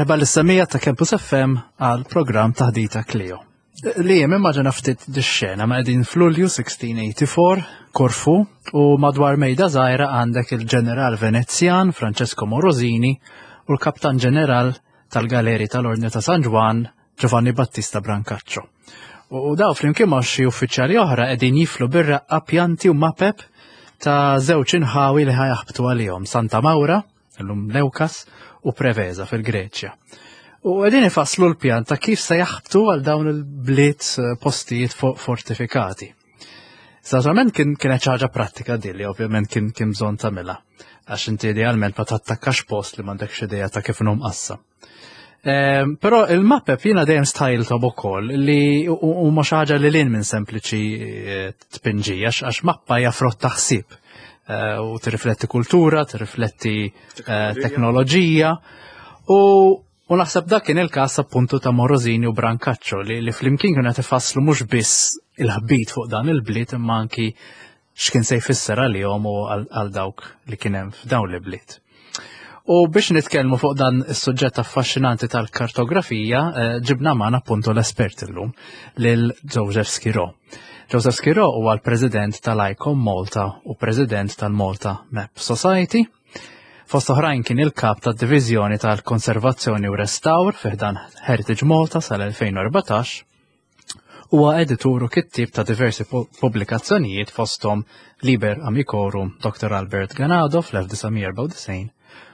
Merħba lis-semija ta' Campus FM għal programm Taħdita Kleo. Li jem immaġina ftit dix-xena ma' qegħdin f'Lulju 1684, Korfu, u madwar mejda żgħira għandek il-ġeneral Venezjan Francesco Morosini u l-kaptan ġeneral tal-Galeri tal-Ordni ta' San Ġwann Giovanni Battista Brancaccio. U daw flimkien ma' xi uffiċjali oħra qegħdin jiflu bir-raqqa pjanti u mapep ta' żewġ inħawi li ħajaħbtu għalihom Santa Maura illum Leukas u Preveza fil-Greċja. U għedin ifasslu l-pjan ta' kif se jaħbtu għal dawn il-bliet eh, postijiet fortifikati. Saġament kien kienet ħaġa pratika dilli, ovvjament kien kien bżonn tagħmilha. Għax inti idealment ma tattakkax post li m'għandekx idea ta' kif inhom qassa. Ehm, però il-mappep jiena dejjem stajltom ukoll li huma xi ħaġa li lin minn sempliċi eh, tpinġija għax mappa hija frott ta' ħsieb eh, u tirrifletti kultura, tirrifletti eh, teknoloġija u U naħseb dak kien il-każ appuntu ta' Morosini u Brancaccio li, li flimkien kienu qed ifasslu mhux biss il-ħbit fuq dan il-bliet imma anki x'kien se jfisser għalihom u għal dawk li kien hemm f'dawn l-ibliet. U biex nitkellmu fuq dan is-suġġett affaxxinanti tal-kartografija, eh, ġibna magħna appuntu l-espert illum lil Joseph Schirò. Joseph Schirò huwa l-President tal-ICOM Malta u President tal-Malta Map Society. Fost oħrajn kien il-kap tad-Diviżjoni tal-Konservazzjoni u Restawr fi ħdan Heritage Malta sal-2014 Huwa editur u kittieb ta' diversi pubblikazzjonijiet fosthom Liber Amicorum Dr. Albert Ganado fl-1994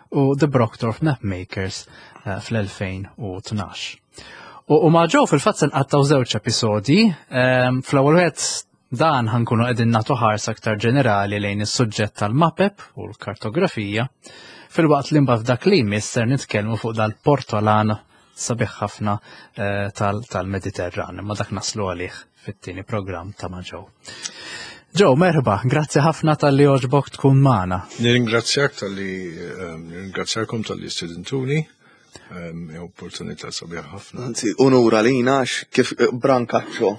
u The Brockdorff Mapmakers eh, fl-2012. U, u ma' ġew fil-fatt se nqattaw żewġ episodji. Ehm, fl-ewwel wieħed dan ħankunu qegħdin nagħtu ħarsa aktar ġenerali lejn is-suġġett tal-mapep u l-kartografija, filwaqt li mbagħad f'dak li jmiss ser nitkellmu fuq dal-portolan sabiħ ħafna eh, tal-Mediterran, imma dak naslu għalih fit-tieni programm ta' ma' Joe. Joe, merħba, grazzi ħafna tal-li oġbok tkun magħna. Nirringrazzjak tal-li ehm, nirringrazzjakom tal-li stedintuni. Ehm, opportunità sabiħ ħafna. Anzi, unura lina kif eh, Brancaccio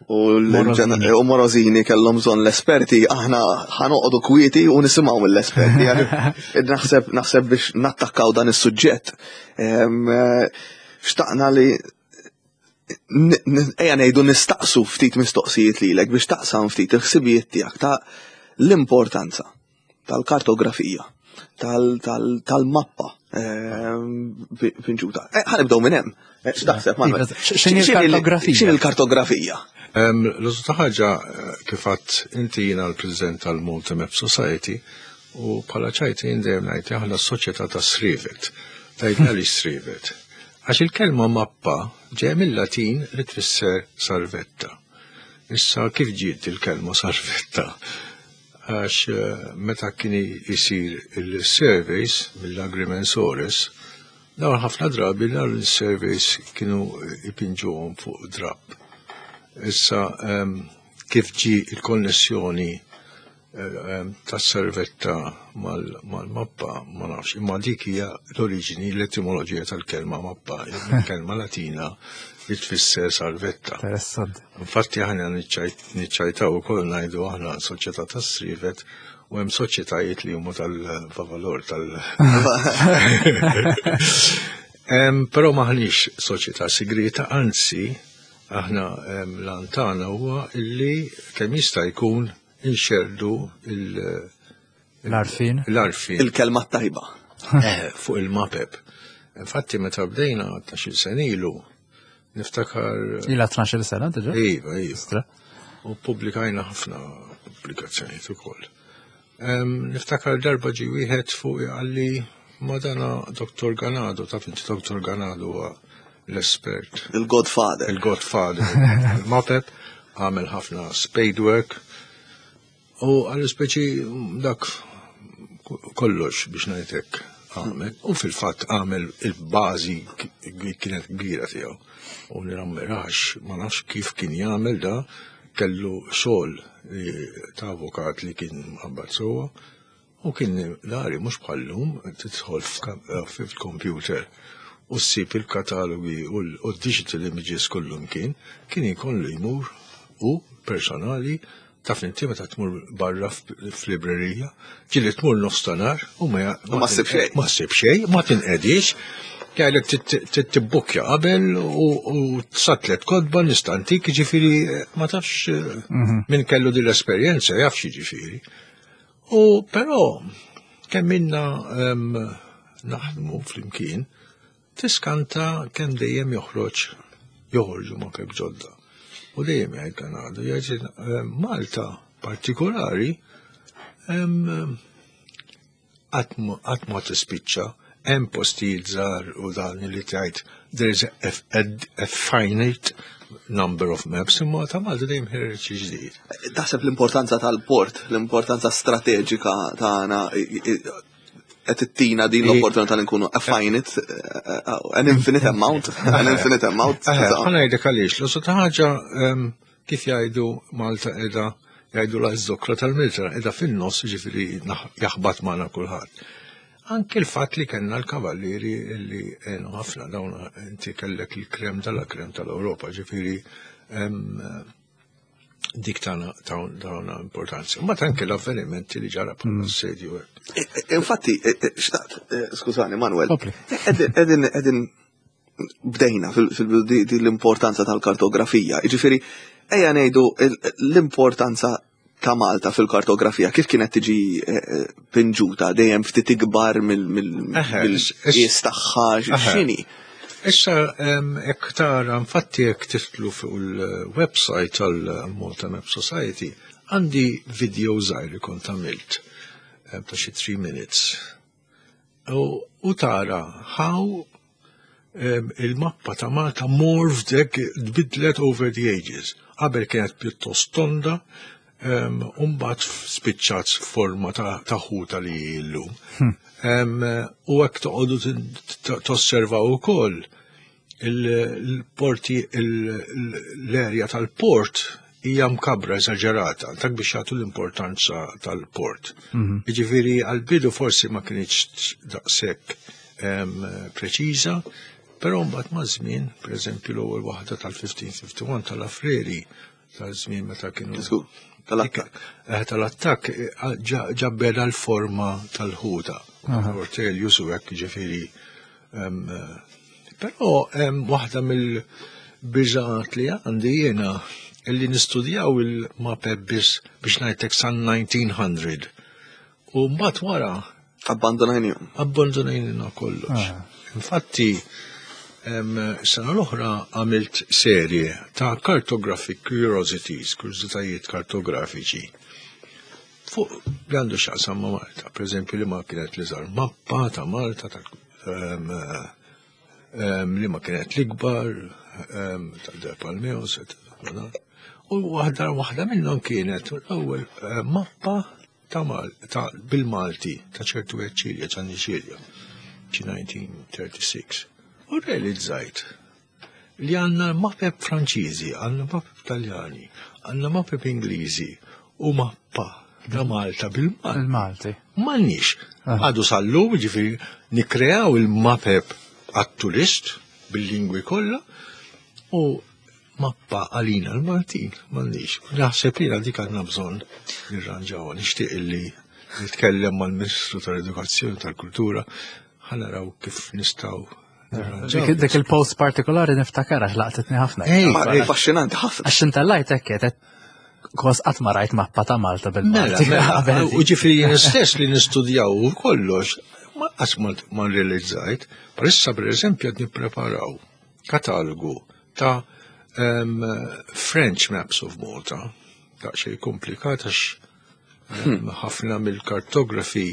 u Morozini kellhom bżonn l-esperti, aħna ħanoqogħdu kwieti u nisimgħu mill-esperti. Naħseb naħseb biex nattakkaw dan is-suġġett. Eh, xtaqna li ejja ngħidu nistaqsu ftit mistoqsijiet lilek biex taqsam ftit il-ħsibijiet tiegħek ta' l-importanza tal-kartografija, tal-mappa ehm, pinġuta. Eh, ħanibdew minn hemm. Eh, x'taħseb Manuel? X'inhi l-kartografija? X'inhi l-kartografija? Ehm, l-użu ta' ħaġa eh, kif għadt inti jiena l-President tal-Malta Map Society u bħala ċajti jien dejjem ngħid aħna s-soċjetà ta' Srivet. Tgħid għaliex Srivet? Għax il-kelma mappa ġej mill-Latin li tfisser sarvetta. Issa kif ġiet il-kelma sarvetta? Għax eh, meta kien isir il-surveys mill-agrimensores, dawn ħafna drabi dawn il-surveys kienu ipinġuhom fuq drapp. Issa ehm, kif ġi il-konnessjoni eh, ehm, tas-servetta mal-mappa ma nafx, imma dik hija l-oriġini, l-etimoloġija tal-kelma mappa, il-kelma Latina li tfisser salvetta. Interessanti. Infatti aħna niċċajtaw ukoll ngħidu aħna soċjetà tas-srivet u hemm soċjetajiet li huma tal-vavalor tal. Però maħniex soċjetà sigrieta, anzi aħna l-antana huwa illi kemm jista' jkun inxerdu il- L-arfin. L-arfin. Il-kelma tajba. Eh, fuq il-mapep. Infatti meta bdejna 12 sena ilu, niftakar. Ila 12 sena diġà? Iva, iva. U publikajna ħafna pubblikazzjonijiet ukoll. Niftakar darba ġi wieħed fuq għalli madana Dr. Ganado, taf inti Dr. Ganado huwa l-espert. Il-Godfather. Il-Godfather. Il-Mapep għamel ħafna spade work U għal speċi dak kollox biex ngħidlek għamel. U fil-fatt għamel il-bażi kienet kbira tiegħu. U nirammirax, ma nafx kif kien jagħmel da kellu xogħol ta' avukat li kien mqabbad sewwa U kien dari mhux bħal-lum tidħol fil-computer u ssib il-katalogi u d-digital images kullumkien, kien ikollu jmur hu personali taf inti meta tmur barra f'librerija, ġieli tmur nofs ta' nhar u ma Ma ssib xejn. Ma ssib xejn, ma tinqedix. Jgħidlek tibbukkja qabel u satlet kodba nistantik, ġifieri ma tafx min kellu din l-esperjenza jaf ġifieri. U però kemm minna naħdmu flimkien, tiskanta kemm dejjem joħroġ joħorġu mapep ġodda. U dejjem jgħid dan għadu, jgħid Malta partikolari qatt ma tispiċċa, hemm postijiet żgħar u dan li tgħid there is a finite number of maps, imma ta' Malta dejjem ħireġ ġdid. Taħseb l-importanza tal-port, l-importanza strateġika tagħna qed ittina din l-opportunità li nkunu a finite, an infinite amount, an infinite amount. Ħa ngħidlek għaliex, l ta' ħaġa kif jgħidu Malta qiegħda jgħidu la z-zokra tal-Mediterran qiegħda fin-nofs, ġifieri jaħbat magħna kulħadd. Anke l-fatt li kellna l-kavallieri li għenu ħafna dawn inti kellek il-krem tal-krem tal-Ewropa, ġifieri dik tagħna tawna importanza. Ma anke l-avvenimenti li ġara bħala assedju. Infatti, xtaqt, skużani Manuel, edin bdejna fil l-importanza tal-kartografija. Ġifieri, ejja ngħidu l-importanza ta' Malta fil-kartografija, kif kienet tiġi pinġuta, dejjem ftit ikbar mill-qies tagħha, x'inhi? Issa, jekk tara, infatti jekk tiftlu fuq il-website tal-Malta Map Society, għandi video żgħir li kont għamilt ta' xi 3 minutes. U tara how il-mappa ta' Malta morphed tbidlet over the ages. Qabel kienet pjuttost tonda, u mbagħad spiċċat forma ta' ħuta li illum. U hekk toqgħodu tosservaw ukoll il-porti, l-erja tal-port hija mkabra eżaġerata, dak biex jagħtu l-importanza tal-port. Jiġifieri għall-bidu forsi ma kienx daqshekk preċiża, però mbagħad maż-żmien, pereżempju l-ewwel waħda tal-1551 tal-Lafreri, tal-żmien meta kienu Tal-attakk. Tal-attakk ġabbeda l-forma tal-ħuta. Ortelius u hekk ġifieri. Però waħda mill-biżgħat li għandi jiena illi nistudjaw il-mapep biss biex ngħidlek san 1900. U mbagħad wara Abbandonajnihom. Abbandonajnina kollox. Infatti, sena l-oħra għamilt serje ta' cartographic curiosities, kurżitajiet kartografiċi. Fuq li għandu x'jaqsam ma' Malta, per eżempju li ma kienet l-iżgħar mappa ta' Malta, li ma kienet l-ikbar, ta' De Palmeos, et cetera. U waħda minnhom kienet l-ewwel mappa ta' ta' bil-Malti ta' ċertu Eċilja, Ġanni Ċilja, ċi 1936. U realizzajt li għandna mapep Franċiżi, għandna mapep Taljani, għandna mapep Ingliżi u mappa ta' Malta bil-Malti. Il-Malti. M'għandniex. Għadu sal-lum, ġifieri, nikreaw il-mapep għat-turist bil-lingwi kollha u mappa għalina l-Maltin, m'għandniex. Naħseb li dik għandna bżonn nirranġawha. Nixtieq illi nitkellem mal-Ministru tal-Edukazzjoni tal-Kultura ħa naraw kif nistgħu nirranġaw. Dik il-post partikolari niftakar għax laqtitni ħafna. Ej, ej. Affaxxinanti ħafna. Għax intellajt hekk qed kos qatt ma rajt mappa ta' Malta bil-Malti. Mela, Qabel. u ġifieri jien stess li nistudjaw u kollox, ma qatt ma realizzajt. Parissa per eżempju qed nippreparaw katalogu ta' French Maps of Malta. Daqsxejn komplikat għax ħafna mill-kartografi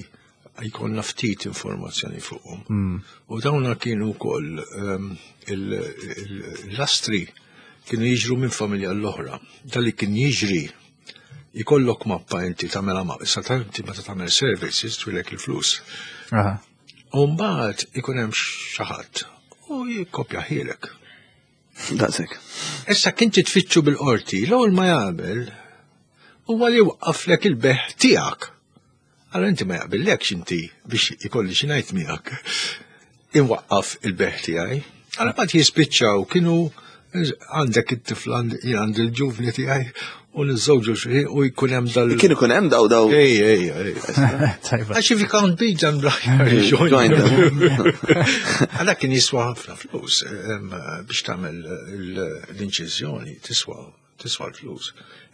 jkollna ftit informazzjoni fuqhom. U dawna kienu wkoll l-astri kienu jiġru minn familja l-oħra. Dali kien jiġri jkollok mappa inti tagħmel mappa, issa inti meta tagħmel services twilek il-flus. U mbagħad ikun hemm xi ħadd u jikkopja ħielek. Daqshekk. Issa kien titfittxu bil-qorti, l-ewwel ma jagħmel huwa li waqqaflek il-bejgħ tiegħek. Allora inti ma jaqbillekx inti biex ikolli xi ngħid miegħek. Inwaqqaf il-bejgħ tiegħi. Allora mbagħad jispiċċaw kienu għandek it-tifla, jien għandi l-ġuvni tiegħi. U niżżewġu xi u jkun hemm dal. Kien ikun hemm daw daw. Ej, ej, ej. Tajba. Għax if you can't beat them, join Join them. them. Għala kien jiswa ħafna flus biex tagħmel l-inċiżjoni tiswa tiswa l-flus.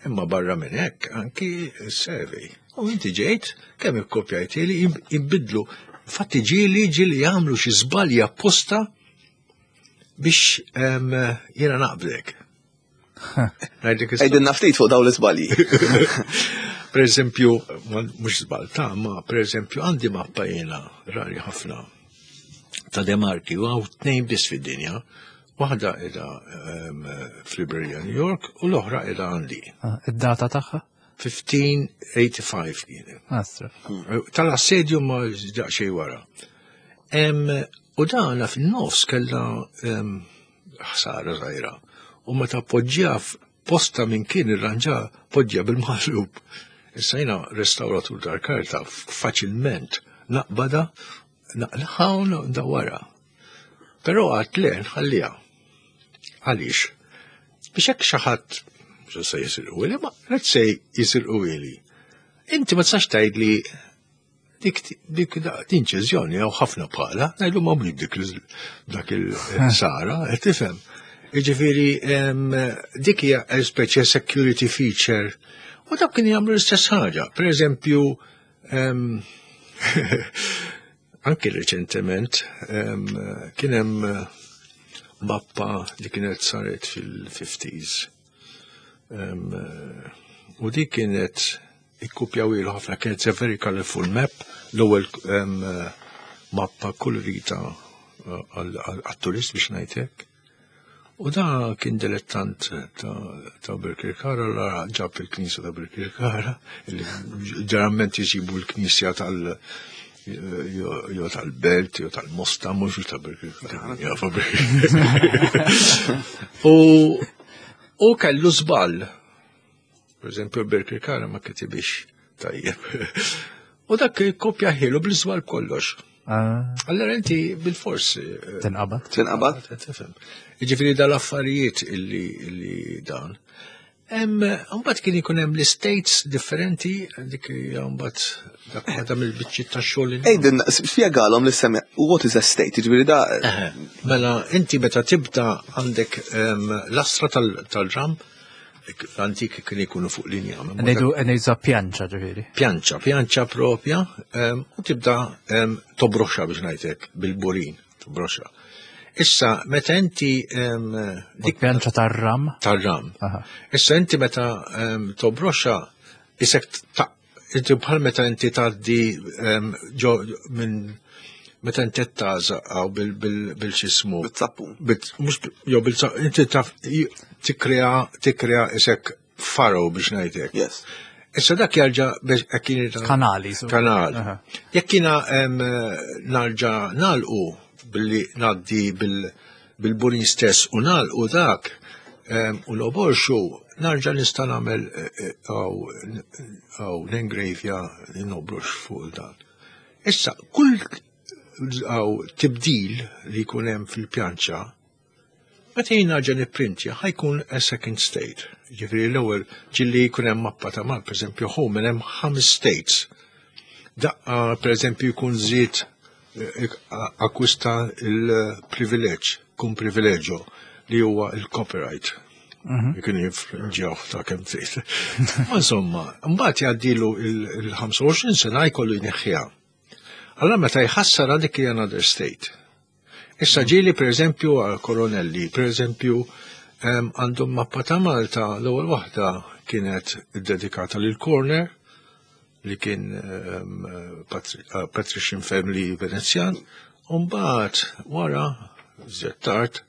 Imma barra minn hekk anki s-survey. U inti ġejt kemm ikkopjajt li jimbidlu. Infatti ġieli ġieli jagħmlu xi żbalji apposta biex jiena naqblek. Ngħidlek is- Għidilna ftit fuq daw l-iżbalji. Per eżempju, mhux żball ta' ma per eżempju għandi mappa jiena rari ħafna ta' Demarki u hawn tnejn biss fid-dinja. Waħda qiegħda f'Librerija New York u l-oħra qiegħda għandi. Ah, Id-data tagħha? 1585 kienet. Astra. Tal-assedju ma daqsxejn wara. U dana fin-nofs kellha ħsara żgħira. U meta poġġiha posta minn kien irranġa poġġiha bil-maħlub. Issa jiena restawratur tal-karta faċilment naqbada naqlaħa u ndawwarha. Però għad le nħalliha. Għaliex? Biex hekk xi ħadd mhux se jisirqu ma let's say jisirqu ili. Inti ma tistax tgħidli dik dik inċiżjoni jew ħafna bħala, ngħidu ma mhux dik dak il-sara, qed tifhem. Jiġifieri dik hija speċi security feature u dak kien jagħmlu l-istess ħaġa. Per eżempju, anki reċentement kien hemm mappa li kienet saret fil-50s. U dik kienet ikkupjaw ilu ħafna, kienet a very colorful map, l-ewwel mappa kolorita għat-turist biex ngħidlek. U da kien dilettant ta' Birkirkara, la ġab il-knisja ta' Birkirkara, li ġeneralment jisibu l-knisja tal- jo tal-Belt, jo tal-Mosta, mhux ta' Birkirkara. Jafa Birkirkara. U kellu żball. Per eżempju, Birkirkara ma kitibix tajjeb. U dak kopja ħilu bil-żball kollox. Allora inti bil-fors. Tinqabad. Tinqabad. Tifhem. Jiġifieri dal-affarijiet illi dan. Mbagħad kien ikun hemm l-states differenti, dik hija mbagħad dak waħda mill-biċċiet tax-xogħol li Ejden, spjegalhom li semmi, what is a state? Jiġifieri da. Mela, inti meta tibda għandek l-astra tal-ram, l-antik kien ikunu fuq linja. Ngħidu pjanċa ġifieri. Pjanċa, pjanċa propja, u tibda tobroxxa biex ngħidlek bil-burin, tobroxxa. Issa, meta inti dik pjanċa tar-ram? Tar-ram. Issa inti meta tobroxxa, isek ta' inti bħal meta inti tgħaddi ġo minn meta inti taża għaw bil-xismu. Bil-zappun. Mhux jew bil inti taf tikkrea isek faro biex ngħidlek. Yes. Issa dak jarġa' biex jekk kien Kanali. Kanal. Jekk jiena narġa' nagħlqu billi ngħaddi bil-burin stess u nagħlqu dak u l-oborxu narġa' nista' nagħmel għaw nengrejvja nobrux fuq dan. Issa kull għaw tibdil li jkun hemm fil-pjanċa, meta jien narġa' nipprintja ħa jkun a second state. Ġifieri l-ewwel ġilli jkun hemm mappa ta' Mal, pereżempju home hemm ħames states. Daqqa pereżempju jkun żied akkwista il-privileġġ, kun privileġġo li huwa il-copyright. Jkun jifrinġjaw ta' kemm trid. Ma insomma, mbagħad jgħaddilu il-25 sena jkollu jneħħiha. Allora meta jħassar dik hija another state. Issa ġieli per eżempju għal koronelli, per eżempju għandhom mappa ta' Malta, l-ewwel waħda kienet dedikata lil Corner, li kien patrician family Venezjan, u mbagħad wara żjed tard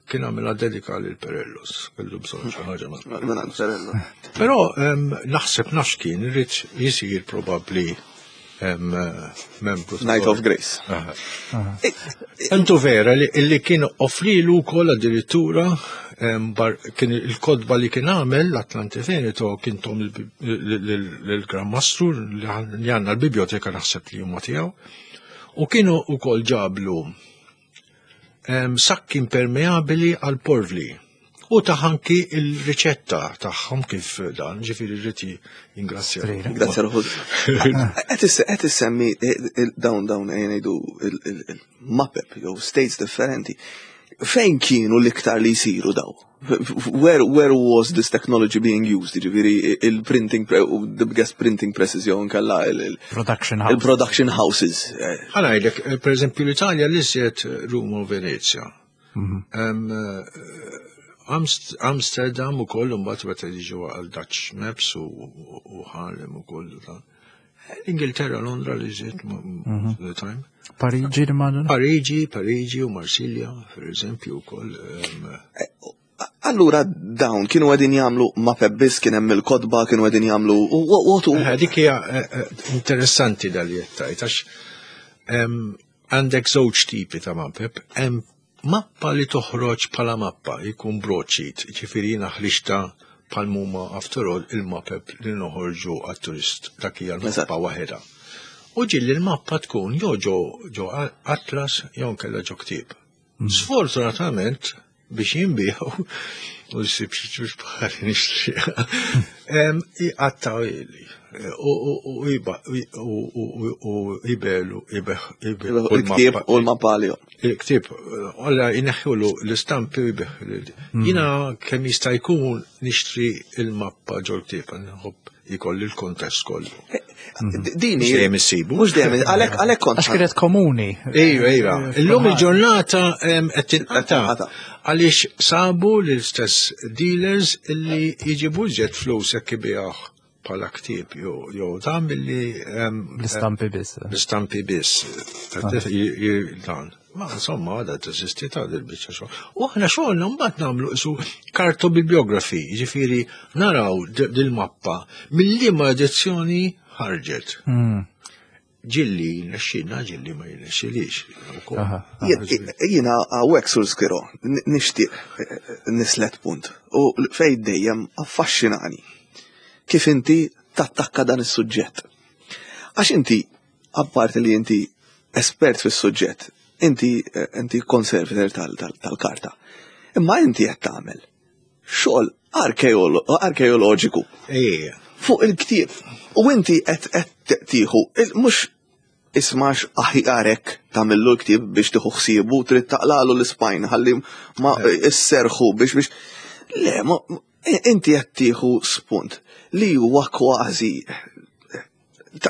kien għamilha dedika lil Perellus, kellu bżonn xi ħaġa ma' Minn Perello. Però naħseb nafx kien irid jisir probabbli membru. Knight of Grace. Entu vera li kien offrilu wkoll addirittura kien il-kodba li kien għamel l-Atlante Veneto kien tom l-Gran Mastru li għandna l-biblioteka naħseb li huma tiegħu. U kienu wkoll ġablu sakki impermeabili għal porvli. U taħanki il-riċetta tagħhom kif dan, ġifieri rrid jingrazzja. Grazzja ruħu. Qed issemmi eh, eh, dawn dawn eh, ngħidu il-mapep jew states differenti. Fejn kienu l-iktar li jsiru daw? Where, where was this technology being used? Ġifieri il-printing, the biggest printing presses jew nkella il-production houses. Il-production houses. Ħanajdlek, per eżempju l-Italja l-iżjed Ruma u Venezia. Mhm. Amsterdam u koll mbagħad meta jiġu għal Dutch Maps u Harlem u koll ta' Ingilterra, Londra li żiet mhm. the time. Parigi nimmaġina? Parigi, Parigi u Marsilja, per eżempju, wkoll. Eh, allura dawn kienu għedin jagħmlu ma biss kien hemm il-kodba kienu għedin jagħmlu u eh, Dik hija eh, interessanti dal jettajt għax Għandek żewġ tipi ta' mapep, hemm mappa li toħroġ bħala mappa, jkun broadsheet, ġifieri jiena ħriġtha bħal mhuma after all il-mapep li noħorġu għat-turist, dak hija l-mappa waħedha. U ġieli l-mappa tkun jew ġo ġo atlas jew nkella ġo ktieb. Sfortunatament biex jinbiegħu u jsib xi ġuġ bħali nixtriha. Iqattaw ili u jibelu il-ktieb u l-mappa għalihom. Il-ktieb, għalla jneħħulu l-istampi u jbih. Jina kemm jista' jkun nixtri il-mappa ġol-ktieb, nħobb jkolli l-kontest kollu. Eh, Dini. Mhux dejjem issibu. Mhux dejjem, għalhekk għalhekk kont. Għax kienet komuni. Ejwa, ejwa. Illum il-ġurnata qed tinqata' għaliex sabu l-istess dealers illi jġibu iżjed flus jekk ibigħuh bħala ktieb jew dan billi l-istampi biss. L-istampi biss. Dan. Ma insomma għadha teżisti ta' dil-biċċa xogħol. U aħna xogħolna mbagħad nagħmlu isu kartobibliography, jiġifieri naraw dil-mappa mill-liema edizzjoni ħarġet. Hmm. Ġilli nexxilna, ġilli ma jirnexxilix. Jiena hawnhekk sur Skiro, nixtieq eh, eh, nislet punt. U fej dejjem affaxxinani kif inti tattakka dan is-suġġett. Għax inti apparti li inti espert fis-suġġett, inti eh, inti conservator tal-karta. Imma inti qed tagħmel xogħol arkeoloġiku. Fuq il-ktieb. U inti qed qed tieħu mhux ismax aħjarek tagħmillu l-ktieb biex tieħu ħsiebu trid taqlalu l-ispajn ħalli ma isserħu biex biex le ma inti qed tieħu spunt li huwa kważi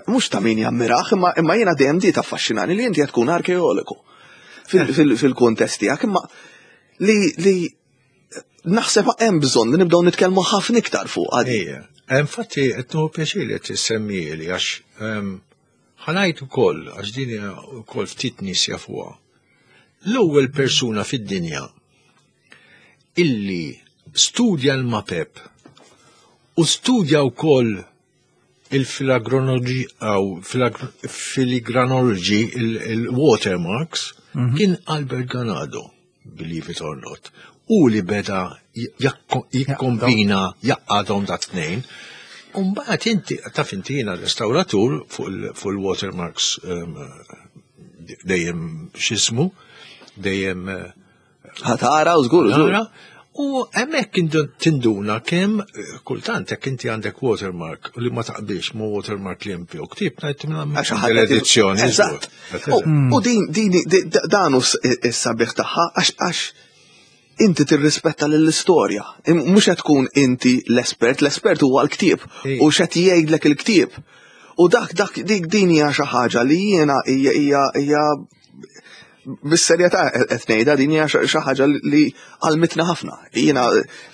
mhux ta' min jammiraħ, imma imma jiena dejjem di taffaxxinani li inti qed tkun arkeologu fil-kuntest tiegħek, imma li li naħseb hemm bżonn li nibdew nitkellmu ħafna iktar fuq għadi. Infatti qed nieħu pjaċir li tissemmieli għax ehm, ħanajt ukoll għax din ukoll ftit nies jafuha. L-ewwel persuna fid-dinja illi studja l-mapep u studja wkoll il-filagronology filigranology il-watermarks mhm. kien Albert Ganado, believe it or not. U li beda jikkombina jaqqadhom da tnejn. Umbagħad inti taf inti jiena restauratur fuq il-watermarks ehm, dejjem x'ismu, dejjem eh, Ħatara u żgur, żgur. U hemmhekk tinduna kemm eh, kultant jekk inti għandek watermark u li ma taqbilx ma watermark li hemm fih ktieb ngħid l-edizzjoni. Eżatt. U din din dan hu s-sabiħ tagħha għax għax inti tirrispetta lill-istorja. Mhux qed tkun inti l-espert, l-espert huwa l-ktieb u x'qed jgħidlek il-ktieb. U dak dak dik din hija xi ħaġa li jiena hija hija bis-serjetà qed ngħidha din hija xi ħaġa li għalmitna ħafna. Jiena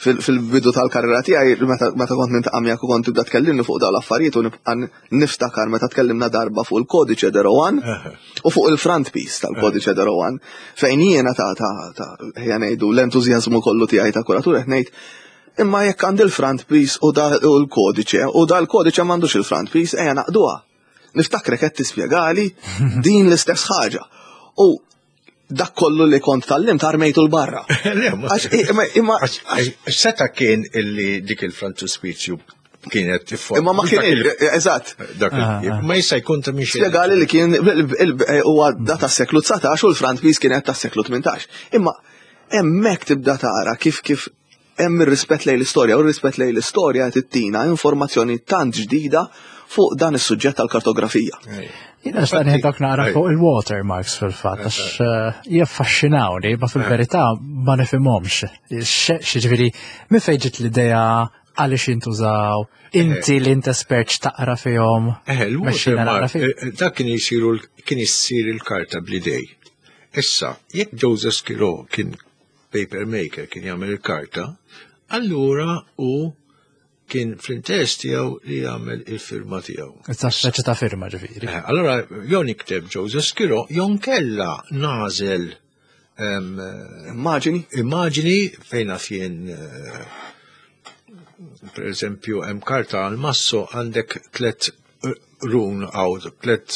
fil-bidu tal-karriera tiegħi meta kont nintaqa' miegħek u kont tibda tkellimni fuq dawn l-affarijiet u nibqa' niftakar meta tkellimna darba fuq il-kodiċe de Rowan u fuq il-front piece tal-kodiċe de Rowan fejn jiena ta' ta' ta' ħja ngħidu l-entużjażmu kollu tiegħi ta' kuratur qed ngħid imma jekk għandi l-front piece u da l-kodiċe u da l-kodiċe m'għandux il-front piece ejja naqduha. Niftakrek qed tispjegali din l-istess ħaġa. U dak kollu li kont tal-lim armejtu l-barra. Imma seta kien illi dik il-frontispizju kienet tifforma. Imma ma kien, eżatt. Dak ah, ah. Ma jista' jkun ta' minn Spjegali li kien huwa da tas-seklu 19 u l-frontpiece kienet tas-seklu 18. Imma hemmhekk tibda tara kif kif Hemm ir-rispett lejn l-istorja u r-rispett lejn l-istorja qed ittina informazzjoni tant ġdida fuq dan is-suġġett tal-kartografija. Jiena xtaqt dak naqra fuq il-watermarks fil-fatt, għax jaffaxxinawni, ma fil-verità ma nifhimhomx. Xiġifieri, minn fejn ġiet l-idea għaliex jintużaw, inti li int espert x'taqra fihom. Il-watermark, dak kien jisiru kien issir il-karta bl-idej. Issa, jekk Joseph Schirò kien paper maker kien jagħmel il-karta, allura u kien fl-interess tiegħu li jagħmel il-firma tiegħu. Issa speċi ta' firma ġifieri. Allora jew nikteb Joseph Schirò jew nkella nagħżel Immaġini? Immaġini fejn naf jien per eżempju hemm karta għal masso għandek tlet run għaw, tlet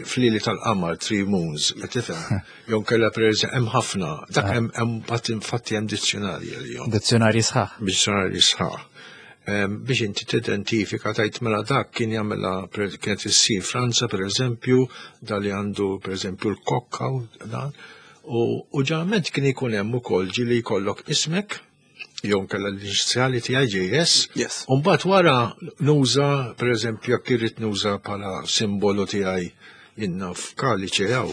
flili tal-qamar, three moons, qed tifhem? Jew nkella per eżempju hemm ħafna, dak hemm hemm bat infatti hemm dizzjonarji għalihom. Dizzjonarji sħaħ. Dizzjonarji sħaħ. Biex inti tidentifika tajt mela dak kien jagħmilha kienet issir Franza per eżempju, dal li għandu per eżempju l-kokka u dan. U ġeneralment kien ikun hemm ukoll ġieli jkollok ismek, jew nkella l-inizjali tiegħi JS. Yes. U mbagħad wara nuża, per eżempju, jekk irrid nuża bħala simbolu tiegħi inna f'kaliċe jew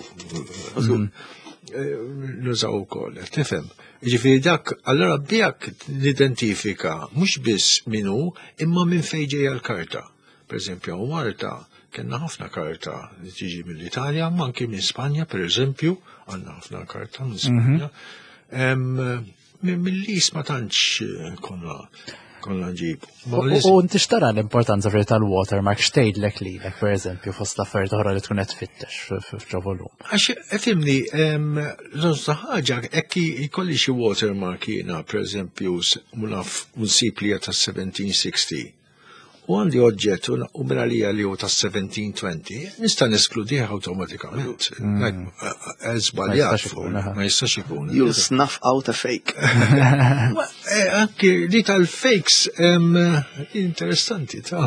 nużaw ukoll, tifhem. Ġifieri dak, allora bijak nidentifika mhux biss min hu, imma minn fejn ġejja l-karta. Per eżempju, hawn Malta kellna ħafna karta li tiġi mill-Italja, ma anki minn Spanja, per eżempju, għandna ħafna karta minn Spanja. Mill-lis ma tantx konna nġibu. U inti xtara l-importanza fir tal-watermark x'tgħidlek lilek, per eżempju, fost l-affarijiet oħra li tkun qed tfittex f'ġo volum. Għax, fimni, l-onsa ħaġa, hekk jkolli xi watermark jiena, per eżempju, naf unsib li hija tas-1760. U għandi oġġett u minn għalija li hu tas-1720, nista' neskludih awtomatikament. Żbaljat, Ma jistax ikun, aha. ma jistax ikun. You'll snuff out a fake. Anki li tal-fakes, interessanti, ta'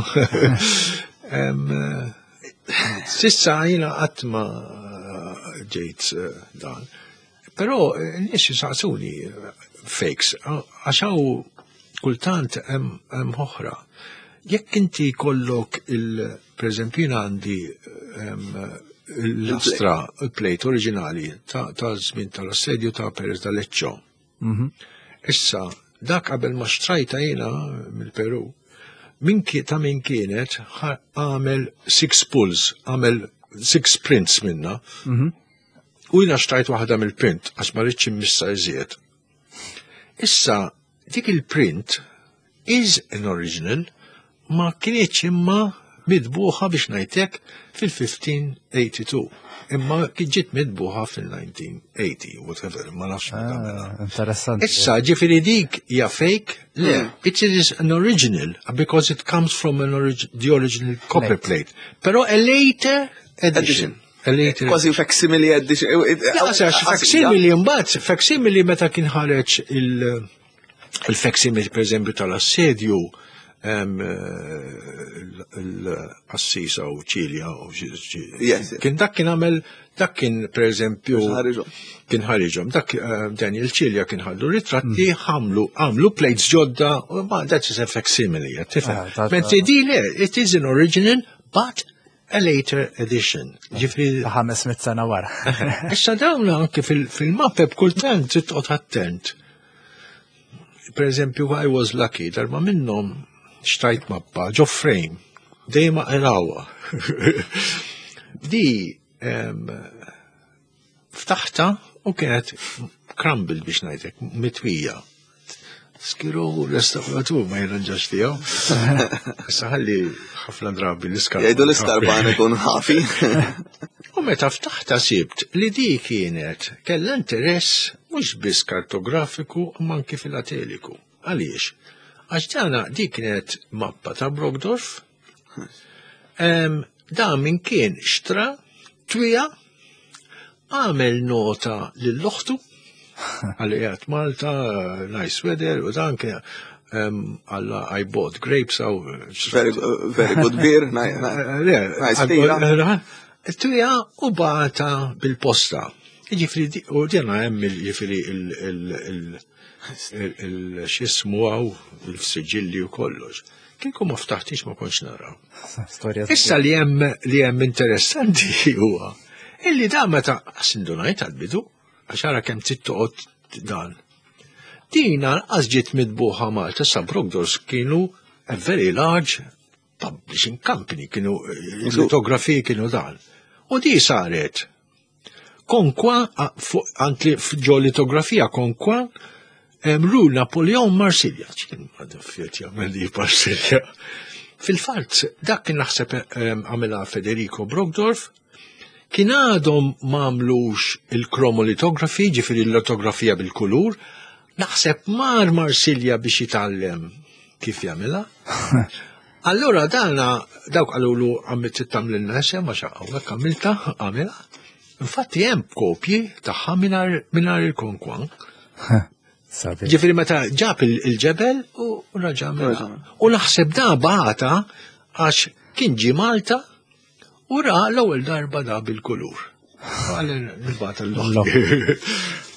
Sissa jiena qatt ma ġejt dan. Però n-nies jisaqsuni fakes, għax hawn kultant hemm oħra. Jekk inti jkollok il, per eżempju, jiena għandi l-lastra, il-plate oriġinali ta' żmien tal-assedju ta' Perez d'Aleccio. Issa, dak qabel ma xtrajta jiena mill-Peru, ta' min kienet għamel 6 pulls, għamel 6 prints minna. U jiena xtrajt waħda mill-print, għax ma rridx immissa iżjed. Issa, dik il-print is an original, ma kienieċ imma midbuħa biex ngħidlek fil-1582. Imma kien ġiet midbuħa fil-1980, whatever, ma nafx meta mela. Interessanti. Issa, ġifieri dik hija fake? Le, it is an original because it comes from an the original copper plate. Però a later edition. Edition. A later Kważi facsimile edition. Ja, għax facsimile mbagħad, facsimile meta kien ħareġ il-facsimile per eżempju tal-assedju, l-Assisa u Ċilja u xi- Kien dak kien għamel, dak kien per eżempju Kien ħariġhom. Kien ħariġhom. Dak Daniel Ċilja kien ħallu ritratti, għamlu plates ġodda, u ma that is a facsimile, tifhem. Mentri di le, it is an original, but a later edition. Ġifieri Ta' 500 sena wara. Issa dawn anke fil-mappe b'kultant trid toqgħod attent. Per eżempju, I was lucky, darba minnhom xtrajt mappa ġo frame, dejjem aqrawha. Di ftaħta u kienet crumbled biex ngħidlek, mitwija. Schirò restauratur ma jirranġax tiegħu. Issa ħalli ħafna drabi l-iskarban. Jgħidu l-iskarban ikun ħafi. U meta ftaħta sibt li di kienet kellha interess mhux biss kartografiku imma anki filateliku. Għaliex? Għax dana di kienet mappa ta' Brockdorff. Da min kien xtra twija għamel nota lill-oħtu għalli qiegħed Malta, nice weather, u dan kien għalla I bought grapes għaw. Very, very good beer, Le, nice beer. Twija u bata bil-posta. Ġifri, u dina hemm ġifri il-xismu għaw, il-siġilli u kollox. Kieku ma ftaħtix ma kontx naraw. Issa li hemm li hemm interessanti huwa illi da meta sindunajt għal-bidu, għax ara kemm trid toqgħod dan. Dina lanqas ġiet mitbuħa Malta sa Brogdors kienu a very large publishing company, kienu litografiji kienu dan. U di saret konkwa għant li ġo litografija konkwa Rue Napoleon Marsilja. ċin għadaffiet jagħmel li Marsilja. Fil-fatt, dak kien naħseb għamilha Federico Brogdorf, kien għadhom m'għamlux il-kromolitografi, ġifieri l-litografija bil-kulur, naħseb mar Marsilja biex jitgħallem kif jagħmilha. Allura dana dawk qalulu għamilt tagħmlilna isem għax hawnhekk għamilta għamilha. Infatti hemm kopji tagħha mingħajr il-konkwan. Ġifieri meta ġab il-ġebel u raġa' U naħseb da bagħata għax kien ġie Malta u ra l-ewwel darba da bil-kulur.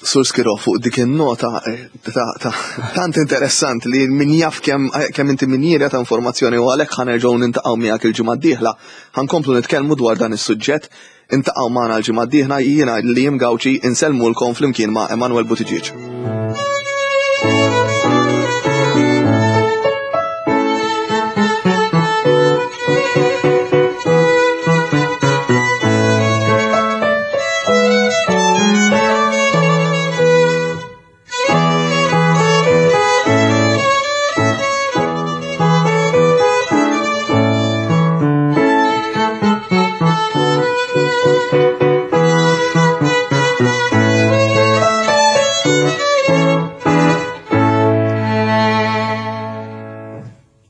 Sur Skiro, fuq dik in-nota eh, ta' tant interessant li min jaf kemm eh, kemm inti minjera ta' informazzjoni u għalhekk ħanerġgħu nintaqgħu miegħek il-ġimgħa d-dieħla. Ħankomplu nitkellmu dwar dan is-suġġett. Intaqgħu magħna l-ġimgħa d-dieħla jiena li jim Gawċi insellmulkom flimkien ma' Emanuel Buttigieg.